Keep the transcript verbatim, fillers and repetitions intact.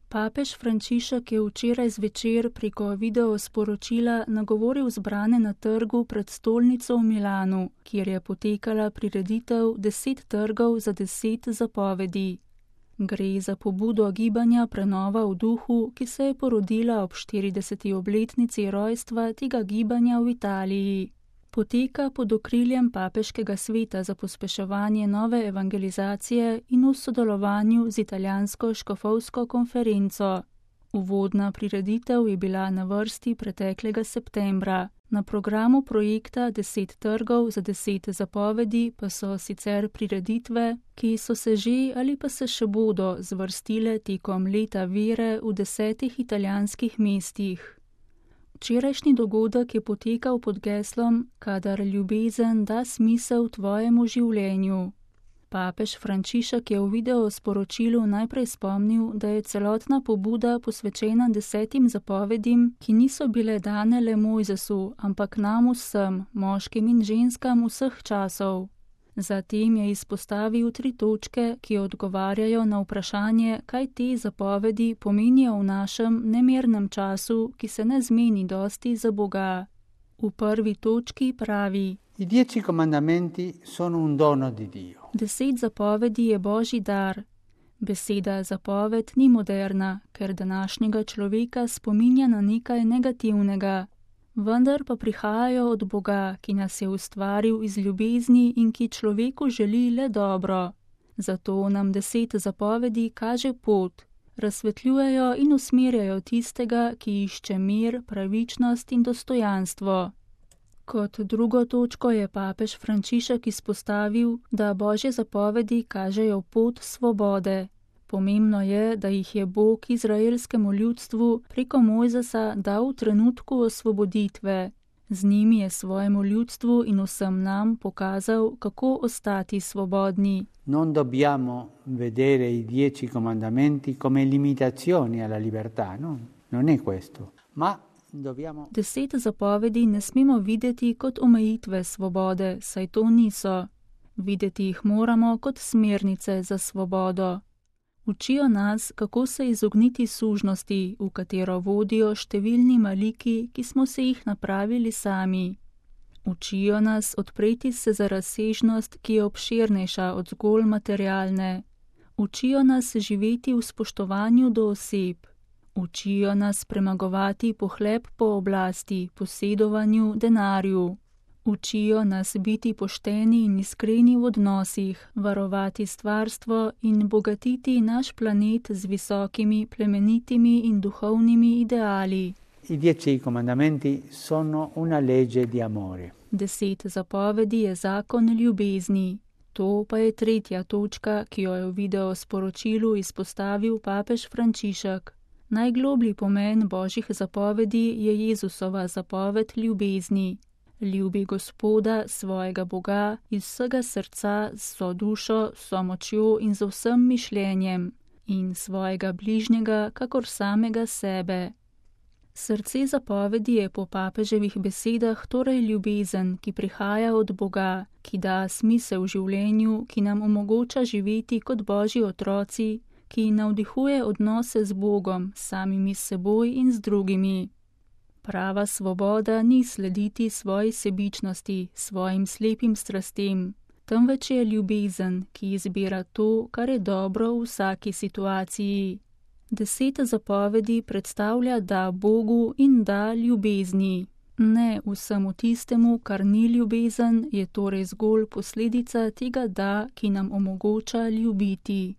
Papež Frančišek je včeraj zvečer preko videosporočila nagovoril zbrane na trgu pred stolnico v Milanu, kjer je potekala prireditev Deset trgov za deset zapovedi. Gre za pobudo gibanja Prenova v duhu, ki se je porodila ob štirideseti obletnici rojstva tega gibanja v Italiji. Poteka pod okriljem Papeškega sveta za pospeševanje nove evangelizacije in v sodelovanju z italijansko škofovsko konferenco. Uvodna prireditev je bila na vrsti preteklega septembra. Na programu projekta Deset trgov za deset zapovedi pa so sicer prireditve, ki so se že ali pa se še bodo zvrstile tekom leta vere v desetih italijanskih mestih. Včerajšnji dogodek je potekal pod geslom Kadar ljubezen da smisel tvojemu življenju. Papež Frančišek je v videosporočilu najprej spomnil, da je celotna pobuda posvečena desetim zapovedim, ki niso bile dane le Mojzesu, ampak nam vsem, moškim in ženskam vseh časov. Zatem je izpostavil tri točke, ki odgovarjajo na vprašanje, kaj te zapovedi pomenijo v našem nemirnem času, ki se ne zmeni dosti za Boga. V prvi točki pravi: I dieci comandamenti sono un dono di Dio. Deset zapovedi je Božji dar. Beseda zapoved ni moderna, ker današnjega človeka spominja na nekaj negativnega. Vendar pa prihajajo od Boga, ki nas je ustvaril iz ljubezni in ki človeku želi le dobro. Zato nam deset zapovedi kaže pot, razsvetljujejo in usmerjajo tistega, ki išče mir, pravičnost in dostojanstvo. Kot drugo točko je papež Frančišek izpostavil, da Božje zapovedi kažejo pot svobode. Pomembno je, da jih je Bog izraelskemu ljudstvu preko Mojzesa dal v trenutku osvoboditve. Z njimi je svojemu ljudstvu in vsem nam pokazal, kako ostati svobodni. Non dobbiamo vedere i dieci comandamenti come limitazioni alla libertà, no? Non è questo. Ma dobbiamo... Deset zapovedi ne smemo videti kot omejitve svobode, saj to niso. Videti jih moramo kot smernice za svobodo. Učijo nas, kako se izogniti sužnosti, v katero vodijo številni maliki, ki smo se jih napravili sami. Učijo nas odpreti se za razsežnost, ki je obširnejša od zgolj materialne. Učijo nas živeti v spoštovanju do oseb. Učijo nas premagovati pohlep po oblasti, posedovanju, denarju. Učijo nas biti pošteni in iskreni v odnosih, varovati stvarstvo in bogatiti naš planet z visokimi, plemenitimi in duhovnimi ideali. I dieci comandamenti sono una legge di amore. Deset zapovedi je zakon ljubezni. To pa je tretja točka, ki jo je v videosporočilu izpostavil papež Frančišek. Najgloblji pomen Božjih zapovedi je Jezusova zapoved ljubezni. Ljubi Gospoda, svojega Boga, iz vsega srca, z vso dušo, vso močjo in z vsem mišljenjem, in svojega bližnjega, kakor samega sebe. Srce zapovedi je po papeževih besedah torej ljubezen, ki prihaja od Boga, ki da smisel življenju, ki nam omogoča živeti kot Božji otroci, ki navdihuje odnose z Bogom, samimi seboj in z drugimi. Prava svoboda ni slediti svoji sebičnosti, svojim slepim strastem, temveč je ljubezen, ki izbira to, kar je dobro v vsaki situaciji. Deset zapovedi predstavlja da Bogu in da ljubezni. Ne vsemu tistemu, kar ni ljubezen, je torej zgolj posledica tega da, ki nam omogoča ljubiti.